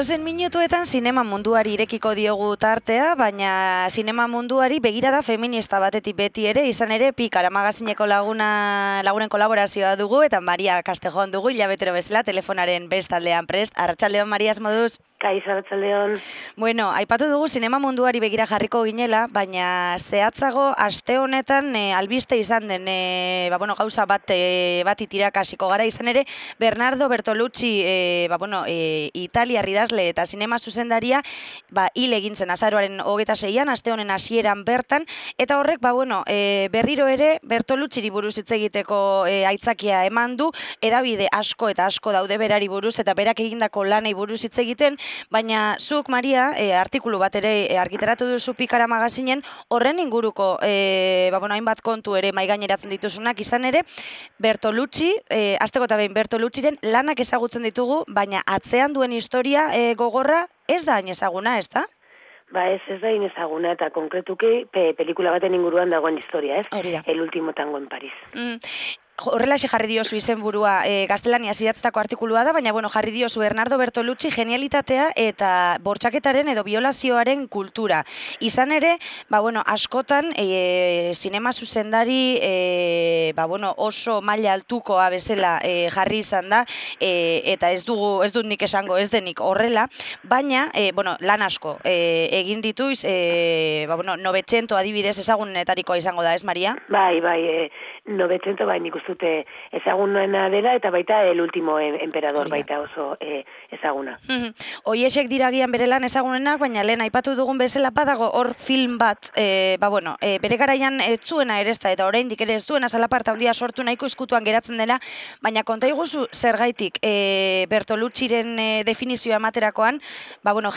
Datozen minutuetan zinema munduari irekiko diogu tartea, baina zinema munduari begirada feminista batetik beti ere, izan ere Pikara magazineko lagunen kolaborazioa dugu, eta Maria Castejon dugu, hilabetero bezala, telefonaren bestaldean prest. Arratsaldeon, Maria, moduz? Kaixo, arratsaldeon. Bueno, aipatu dugu zinema munduari begira jarriko ginela, baina zehatzago aste honetan albiste izan den gauza bat itirakasiko gara, izan ere Bernardo Bertolucci italiar idazle eta zinema zuzendaria hil egin zen azaroaren 26an, aste honen hasieran bertan, eta horrek berriro ere Bertolucciri buruz hitz egiteko aitzakia eman du, hedabide asko eta asko daude berari buruz eta berak egindako lanei buruz hitz egiten. Baina zuk, Maria, artikulu bat ere argitaratu duzu Pikara magazinen, horren inguruko hainbat kontu ere maigaineratzen dituzunak, izan ere Bertolucci, hasteko eta behin Bertolucciren lanak ezagutzen ditugu, baina atzean duen historia gogorra ez da hain ezaguna, ez da? Ez da hain ezaguna, eta konkretuki pelikula baten inguruan dagoen historia, ez? Hori da. El último tango en París. Horrelaxe jarri diozu izenburua gaztelaniaz idatzitako artikulua da, baina jarri diozu Bernardo Bertolucci genialitatea eta bortxaketaren edo biolazioaren kultura. Izan ere, askotan zinema zuzendari oso maila altukoa bezala jarri izan da, eta ez dut nik esango ez denik horrela, baina lan asko egin ditu, 900 adibidez ezagunetarikoa izango da, ez, Maria? Bai, 900 nik uste dute ezagunena dela, eta baita El último emperador baita oso ezaguna. Hoiesek diragian bere lan ezagunenak, baina lehen aipatu dugun bezala badago hor film bat, bere garaian ez zuena ere ezta, eta oraindik ere ez duena zalaparta handia sortu nahiko eskutuan geratzen dela, baina konta iguzu zergaitik Bertolucciren definizioa ematerakoan,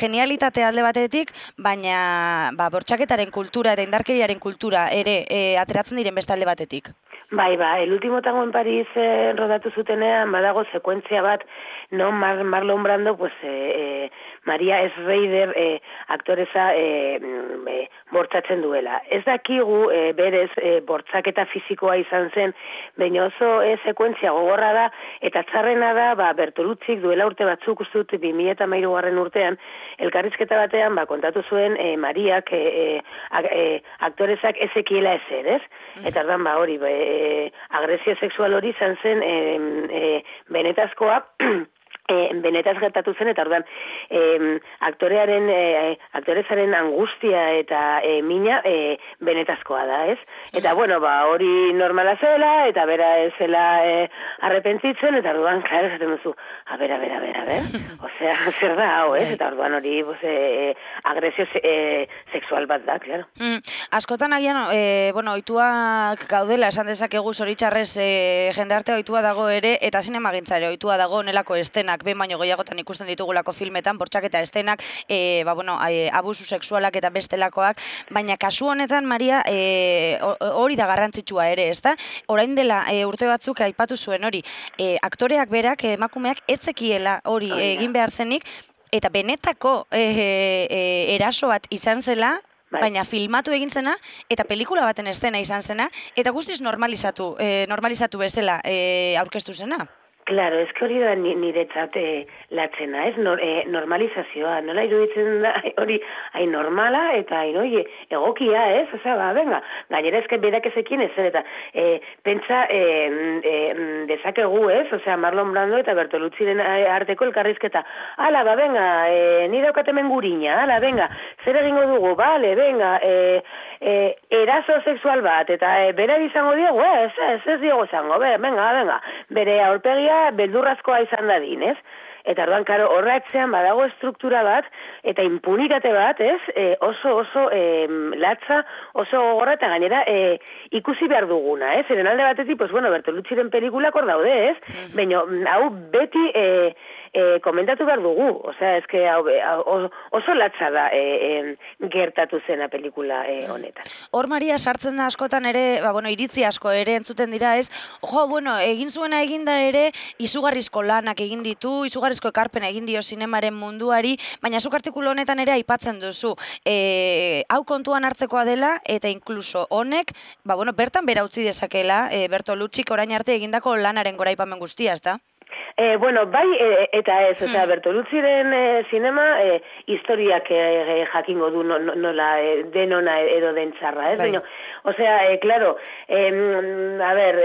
genialitate alde batetik, baina bortxaketaren kultura eta indarkeriaren kultura ere ateratzen diren beste alde batetik. Bai, El último tango en París rodatu zutenean, badago sekuentzia bat, no Marlon Brando, Maria Schrader aktoreza bortzatzen duela. Ez dakigu berez bortzaketa fisikoa izan zen, baina oso sekuentzia gogorra da, eta txarrena da, Bertolucci duela urte batzuk ustut 2013 urtean, elkarrizketa batean kontatu zuen Mariak aktorezak ezekiela ezer, ez? Eta ordan hori, agresio sexual hori izan zen benetazkoa, benetaz gertatu zen, eta ordan aktorezaren angustia eta mina benetazkoa da, ez? Eta hori normala zela, eta bera ez zela arrepentzitzen, eta orduan, klaro, esaten duzu, a ber, osea, zer da hau, ez? Eta orduan hori agresio sexual bat da, klaro. Askotan agian, ohituak gaudela, esan dezakegu zoritxarrez jendarte ohitua dago ere, eta zinemagintzare ohitua dago onelako estenak, behin baino gehiagotan ikusten ditugulako filmetan, bortxaketa estenak, abusu sexualak eta bestelakoak, baina kasu honetan, Maria, hori da garrantzitsua ere, ezta? Orain dela urte batzuk aipatu zuen hori, aktoreak berak, emakumeak etzekiela hori egin behar zenik, eta benetako eraso bat izan zela, baina filmatu egin zena, eta pelikula baten estena izan zena, eta guztiz normalizatu bezala aurkeztu zena. Claro, ez hori da niretzat latzena, ez? Normalizazioa, nola iruditzen da hori hain normala eta hain egokia, ez? Osea, gainera ezken berak ezekien ez zen, eta pentsa dezakegu, ez? Osea, Marlon Brando eta Bertolucciren arteko elkarrizketa. Hala, ni daukat hemen gurina, zer egingo dugu, eraso sexual bat, eta bera izango diogu, ez diogo izango, bere aurpegia beldurrazkoa izan dadin, ez? Eta orduan, karo, horretzean badago estruktura bat, eta impunitate bat, ez? Oso latza, oso gogorra, eta gainera ikusi behar duguna, ez? Zeren alde batetik, Bertolucciren pelikulak hor daude, ez? Baina, hau beti komentatu behar dugu, osea, ezke oso latza da gertatu zena pelikula honetan. Hor, Maria, sartzen da askotan ere, iritzi asko ere entzuten dira, ez? Egin zuena eginda ere, izugarrizko lanak egin ditu, izugarrizko ekarpen egin dio zinemaren munduari, baina zuk artikulu honetan ere aipatzen duzu. Hau kontuan hartzekoa dela, eta inkluso honek, bertan bera utzi dezakela, Bertoluccik orain arte egindako lanaren goraipamen guztia, ezta? Bueno, bai, eta ez, osea, Bertoluzziren zinema, historiak jakingo du nola denona edo den txarra, ez? Baina, osea, claro, a ber,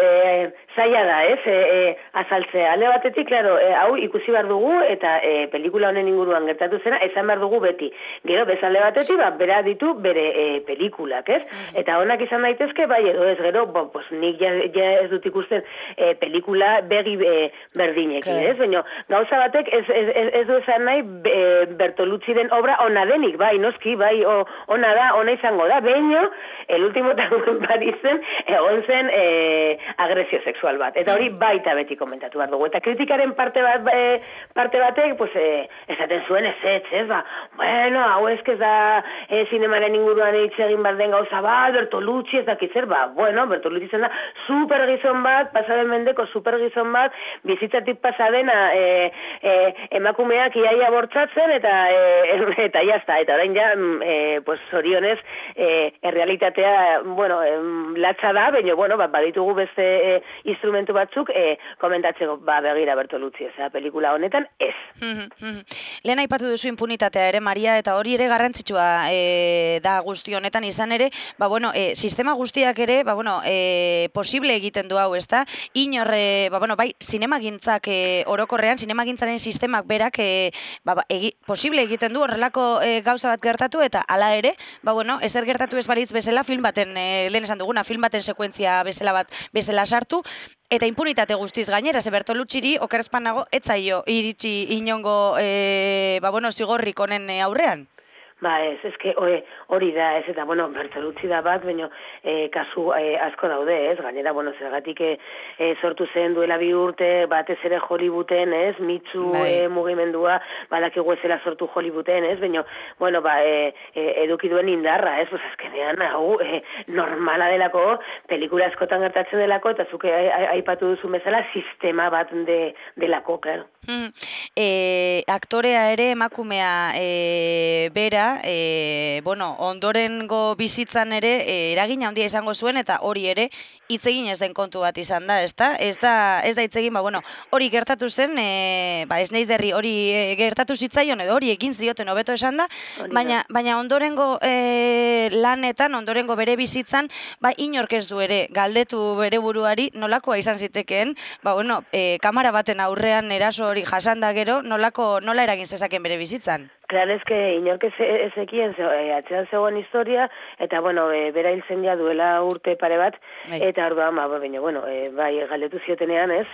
zaila da, ez? Azaltzea, alde batetik, claro, hau ikusi behar dugu, eta pelikula honen inguruan gertatu zena, esan behar dugu beti. Gero, bezalde batetik, bera ditu bere pelikulak, ez? Eta honak izan daitezke, bai, edo ez, gero, pues, nik ja ez dut ikusten pelikula begi berdinekin, ez? Baina, gauza batek ez du esan nahi Bertoluzziren obra ona denik, bai, noski, bai, ona da, ona izango da, baina, el último tango Parisen egon zen agresio sexual bat. Eta hori baita beti komentatu behar dugu. Eta kritikaren parte batek, pues, esaten zuen ez, ba, bueno, hau ez da zinemaren inguruan hitz egin behar den gauza bat, Bertoluzzi ez dakitzer, ba, bueno, Bertoluzzi zen da supergizon bat, pasaden mendeko supergizon bat, bizitzatik pasadena emakumeak iaia bortzatzen, eta jazta, eta orain ja, pues, zorionez, errealitatea, bueno, latza da, baina, bueno, baditugu beste instrumentu batzuk, komentatzeko, begira Bertoluzzi, ez, pelikula honetan, ez. Lehen aipatu duzu impunitatea ere, Maria, eta hori ere garrantzitsua da guzti honetan izan ere, bueno, sistema guztiak ere, bueno, posible egiten du hau, ezta? Inor, bai, zinemagintzak orokorrean, zinemagintzaren sistemak berak posible egiten du horrelako gauza bat gertatu, eta hala ere, bueno, ezer gertatu ez balitz bezala film baten, lehen esan duguna, film baten sekuentzia bezala sartu, eta impunitate guztiz gainera, ze Bertoluzziri okerespan nago etzaio iritsi inongo zigorrik honen aurrean. Ba ez, eske hori da, ez, eta, bueno, Bertoluzzi da bat, baina kasu asko daude, ez, gainera, bueno, zergatik sortu zen duela 2 urte, batez ere Hollywooden, ez, mitzu mugimendua, badakigu ezela sortu Hollywooden, ez, baina, bueno, eduki duen indarra, ez, pues azkenean, hau, normala delako, pelikula askotan gertatzen delako, eta zuke aipatu duzu bezala, sistema bat delako, claro. Aktorea ere emakumea bera, ondorengo bizitzan ere eragin handia izango zuen, eta hori ere hitz egin ez den kontu bat izan da, ezta? Ez da hitz egin, hori gertatu zen, ez naiz derri hori gertatu zitzaion, edo hori egin zioten hobeto esan da, baina ondorengo lanetan, ondorengo bere bizitzan, inork ez du ere galdetu bere buruari nolakoa izan zitekeen, kamara baten aurrean eraso hori jasanda gero, nola eragin zezaken bere bizitzan? Klar, ezke, inork ezekien atzean zegoen historia, eta, bera hiltzen ja duela urte pare bat, eta orduan, galdetu ziotenean, ez,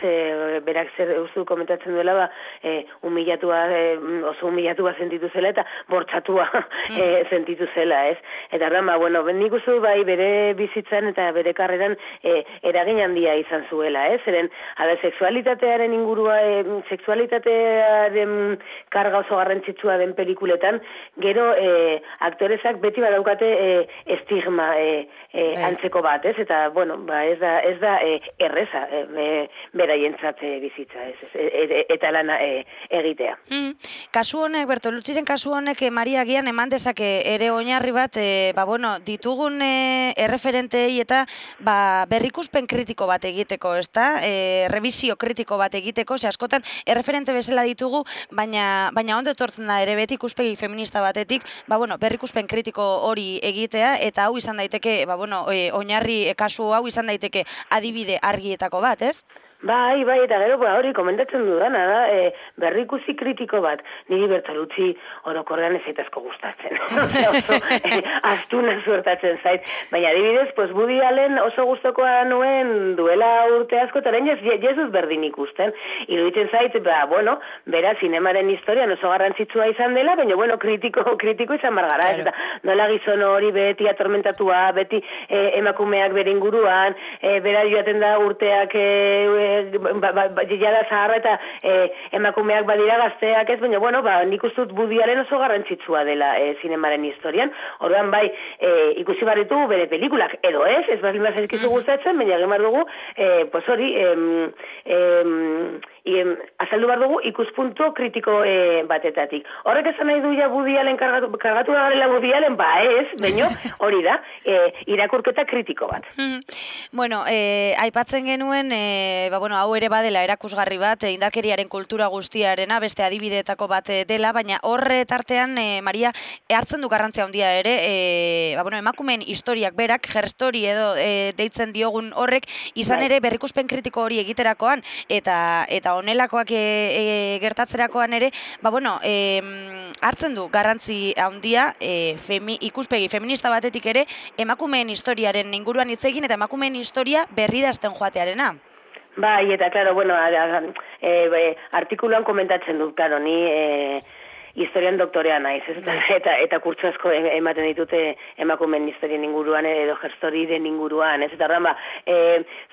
berak zer ustu komentatzen duela, oso humillatua sentitu zela, eta bortzatua sentitu zela, ez. Eta orduan, nik uste bere bizitzan eta bere karreran eragin handia izan zuela, ez. Zeren, sexualitatearen ingurua, sexualitatearen karga oso garrantzitsua den pelikuletan, gero aktorezak beti badaukate estigma antzeko bat, ez? Eta, ez da erreza beraientzat bizitza, eta lana egitea. Kasu honek, Bertoluzziren kasu honek, Maria Agian eman dezake ere oinarri bat, ditugun erreferentei eta berrikuspen kritiko bat egiteko, ezta? Revisio kritiko bat egiteko, ze askotan erreferente bezala ditugu, baina ondo etortzen da ere beti ikuspegi feminista batetik, berrikuspen kritiko hori egitea, eta hau izan daiteke, oinarri kasu hau izan daiteke adibide argietako bat, ez? Bai, eta gero hori komentatzen dudana da, berrikusi kritiko bat, niri Bertoluzzi orokorrean ez asko gustatzen. Oso astuna suertatzen zait. Baina adibidez, Woody Allen oso gustokoa nuen duela urte asko, eta orain Jesus berdin ikusten. Iruditzen zait, bera zinemaren historian oso garrantzitsua izan dela, baina kritiko izan bargara. Eta nola gizon hori beti atormentatua, beti emakumeak bere inguruan, bera joaten da urteak jada zaharra eta emakumeak badira gazteak ez, baina, nik ustut Woody Allen oso garrantzitsua dela zinemaren historian. Orduan, ikusi barritu bere pelikulak, edo ez baldin bazizkizu gustatzen, baina egin behar dugu, hori, azaldu behar dugu ikuspuntu kritiko batetatik. Horrek esan nahi du ja Woody Allen kargatu da garela Woody Allen, ba ez, baino hori da, irakurketa kritiko bat. Bueno, aipatzen genuen, hau ere badela erakusgarri bat, indarkeriaren kultura guztiarena, beste adibideetako bat dela, baina horre tartean, Maria, hartzen du garrantzia handia ere, emakumeen historiak berak, gerstori edo deitzen diogun horrek, izan ere berrikuspen kritiko hori egiterakoan, eta honelakoak gertatzerakoan ere, hartzen du garrantzi handia ikuspegi feminista batetik ere, emakumeen historiaren inguruan hitz egin eta emakumeen historia berridazten joatearena. Bai, eta, klaro, artikuluan komentatzen dut, klaro, ni historian doktorea naiz, eta kurtso asko ematen ditute emakumeen historien inguruan edo gerstorien inguruan, ez? Eta horren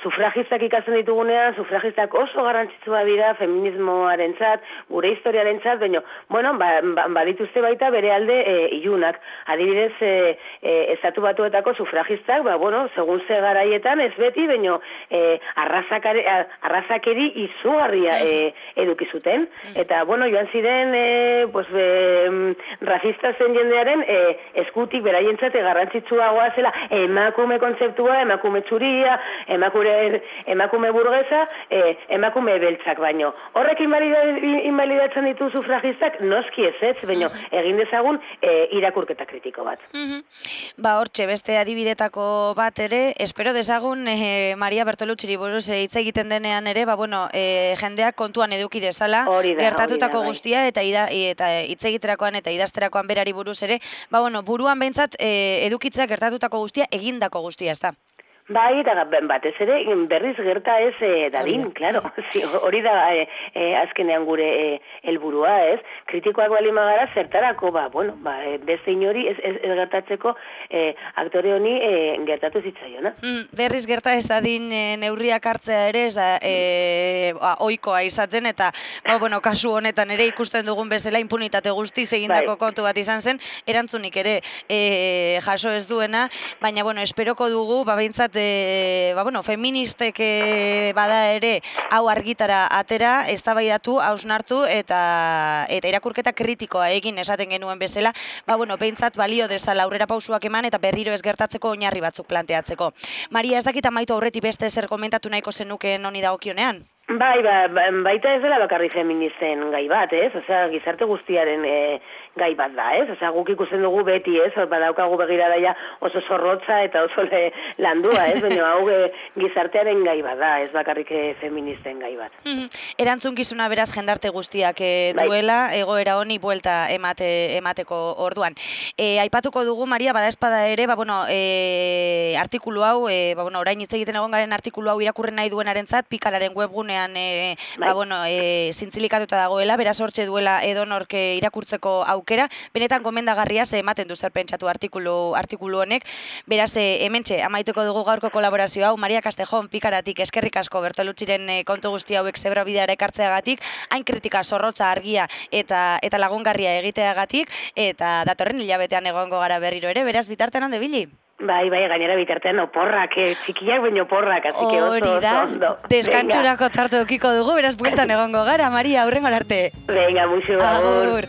sufragistak ikasten ditugunean, sufragistak oso garrantzitsua dira feminismoarentzat, gure historiarentzat, baina, badituzte baita bere alde ilunak. Adibidez, estatu batuetako sufragistak, segun ze garaietan ez beti, baina arrazakeri izugarria eduki zuten. Eta, joan ziren, racista zen jendearen eskutik beraientzat garrantzitsuagoa zela emakume kontzeptua, emakume txuria, emakume burgesa, emakume beltzak baino. Horrek inbalidatzen ditu sufragistak, noski ez, baino egin dezagun irakurketa kritiko bat. Hortxe, beste adibidetako bat ere, espero dezagun Maria Bertolucci buruz hitz egiten denean ere, jendeak kontuan eduki dezala, gertatutako guztia eta hitz egiterakoan eta idazterakoan berari buruz ere, buruan behintzat edukitzea gertatutako guztia egindako guztia, ez da? Bai, eta batez ere, berriz gerta ez dadin, klaro. Hori da azkenean gure helburua, ez? Kritikoak bali magara zertarako, beste inori ez gertatzeko aktore honi gertatu zitzaiona. Berriz gerta ez dadin neurriak hartzea ere, ez da ohikoa izaten, eta kasu honetan ere ikusten dugun bezala impunitate guztiz egindako kontu bat izan zen, erantzunik ere jaso ez duena, baina esperoko dugu, behintzat feministek bada ere hau argitara atera, eztabaidatu, hausnartu eta irakurketa kritikoa egin esaten genuen bezala, behintzat balio dezala aurrera pausuak eman eta berriro ez gertatzeko oinarri batzuk planteatzeko. Maria, ez dakit amaitu aurretik beste zer komentatu nahiko zenukeen honi dagokionean? Bai, baita ez dela bakarri feministen gai bat, ez? Osea, gizarte guztiaren gai bat da, ez? Osea, guk ikusten dugu beti, ez? Badaukagu begiradaia oso zorrotza eta oso landua, ez? Baina hau gizartearen gai bat da, ez bakarrik feministen gai bat. Erantzunkizuna beraz jendarte guztiak duela, egoera honi buelta emateko orduan. Aipatuko dugu, Maria, badaezpada ere, artikulu hau, orain hitz egiten egon garen artikulu hau irakurren nahi duenarentzat, Pikalaren webgunean zintzilikatuta dagoela, beraz hortxe duela edonork irakurtzeko aukera, benetan gomendagarria ze ematen du zer pentsatu artikulu honek, beraz hementxe amaituko dugu gaurko kolaborazio hau, Maria Castejón Pikaratik eskerrik asko Bertolucciren kontu guzti hauek zebrabideara ekartzeagatik, hain kritika zorrotza argia eta lagungarria egiteagatik, eta datorren hilabetean egongo gara berriro ere, beraz bitartean hande bili? Bai, gainera bitartean oporrak, txikiak baino oporrak, así que oso ondo. Deskantsurako tartu eukiko dugu, beraz bueltan egongo gara, Maria, aurrengo arte. Venga, muxu, agur.